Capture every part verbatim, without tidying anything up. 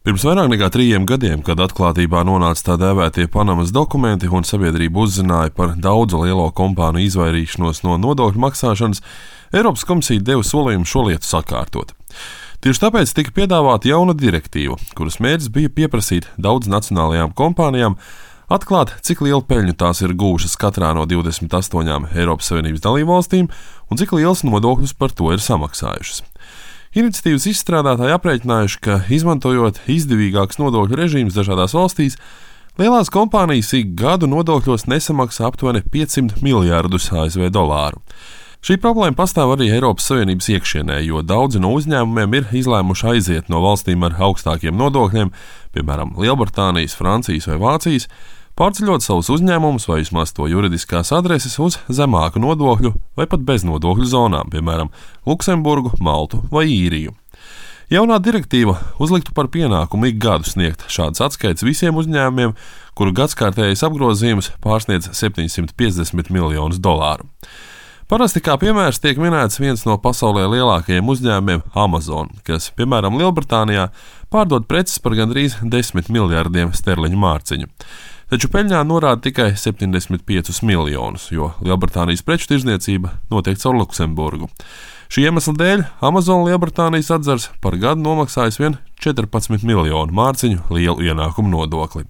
Pirms vairāk nekā trījiem gadiem, kad atklātībā nonāca tā dēvētie Panamas dokumenti un sabiedrība uzzināja par daudzu lielo kompāniju izvairīšanos no nodokļu maksāšanas, Eiropas komisija deva solījumu šo lietu sakārtot. Tieši tāpēc tika piedāvāta jauna direktīva, kuras mērķis bija pieprasīt daudz nacionālajām kompānijām atklāt, cik lielu peļņu tās ir gūšas katrā no divdesmit astoņām Eiropas Savienības dalībvalstīm un cik liels nodokļus par to ir samaksājušas. Iniciatīvas izstrādātāji aprēķinājuši, ka, izmantojot izdevīgākus nodokļu režīmus dažādās valstīs, lielās kompānijas ik gadu nodokļos nesamaksā aptuveni piecsimt miljārdus A S V dolāru. Šī problēma pastāv arī Eiropas Savienības iekšienē, jo daudzi no uzņēmumiem ir izlēmuši aiziet no valstīm ar augstākiem nodokļiem, piemēram, Lielbritānijas, Francijas vai Vācijas, pārceļot savus uzņēmumus vai vismaz to juridiskās adreses uz zemāku nodokļu vai pat beznodokļu zonām, piemēram, Luksemburgu, Maltu vai Īriju. Jaunā direktīva uzliktu par pienākumu ik gadu sniegt šādas atskaites visiem uzņēmumiem, kuru gadskārtējais apgrozījums pārsniedz septiņsimt piecdesmit miljonus dolāru. Parasti kā piemērs tiek minēts viens no pasaulē lielākajiem uzņēmumiem – Amazon, kas, piemēram, Lielbritānijā pārdod preces par gandrīz desmit miljardiem sterliņu mārciņu. Taču peļņā norāda tikai septiņdesmit piecus miljonus, jo Lielbritānijas preču tirdzniecība notiek caur Luksemburgu. Šī iemesla dēļ Amazon Lielbritānijas atzars par gadu nomaksājas vien četrpadsmit miljonu mārciņu lielu ienākumu nodokli.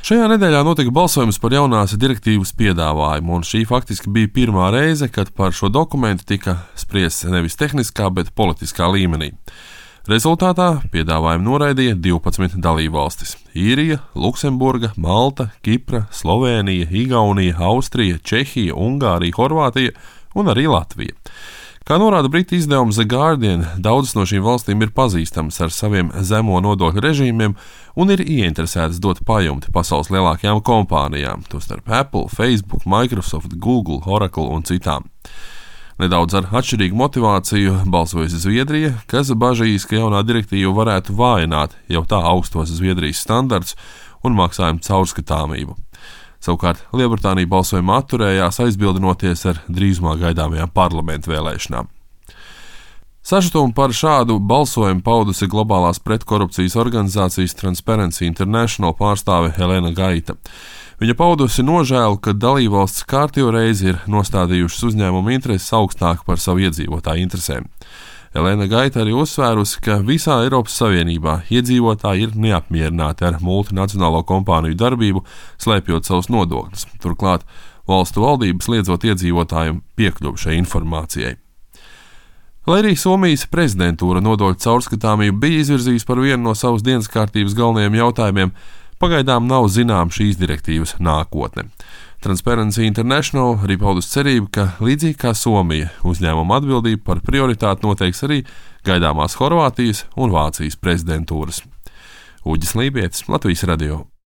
Šajā nedēļā notika balsojums par jaunās direktīvas piedāvājumu, un šī faktiski bija pirmā reize, kad par šo dokumentu tika spriests nevis tehniskā, bet politiskā līmenī. Rezultātā piedāvājumu noraidīja divpadsmit dalībvalstis – Īrija, Luksemburga, Malta, Kipra, Slovēnija, Igaunija, Austrija, Čehija, Ungārija, Horvātija un arī Latvija. Kā norāda britu izdevums The Guardian, daudzas no šīm valstīm ir pazīstamas ar saviem zemo nodokļu režīmiem un ir ieinteresētas dot pajumti pasaules lielākajām kompānijām, tostarp Apple, Facebook, Microsoft, Google, Oracle un citām. Nedaudz ar atšķirīgu motivāciju balsojusi Zviedrija, kas bažīs, ka jaunā direktīva varētu vājināt jau tā augstos Zviedrijas standartus un maksājumu caurskatāmību. Savukārt Lielbritānija balsojumā atturējās, aizbildinoties ar drīzumā gaidāmajām parlamentu vēlēšanām. Sašutumu par šādu balsojumu paudusi globālās pretkorupcijas organizācijas Transparency International pārstāve Helena Gaita. Viņa paudusi nožēlu, ka dalībvalstis kārtējo reizi ir nostādījušas uzņēmumu intereses augstāk par savu iedzīvotāju interesēm. Helena Gaita arī uzsvērusi, ka visā Eiropas Savienībā iedzīvotāji ir neapmierināti ar multinacionālo kompāniju darbību, slēpjot savus nodokļus. Turklāt valstu valdības liedzot iedzīvotājiem piekļuvi šai informācijai. Lai arī Somijas prezidentūra nodokļu caurskatāmību bija izvirzījusi par vienu no savas dienas kārtības galvenajiem jautājumiem, pagaidām nav zinām šīs direktīvas nākotne. Transparency International arī paudus cerību, ka līdzīgi kā Somija, uzņēmuma atbildību par prioritāti noteiks arī gaidāmās Horvātijas un Vācijas prezidentūras. Uģis Lībietis, Latvijas radio.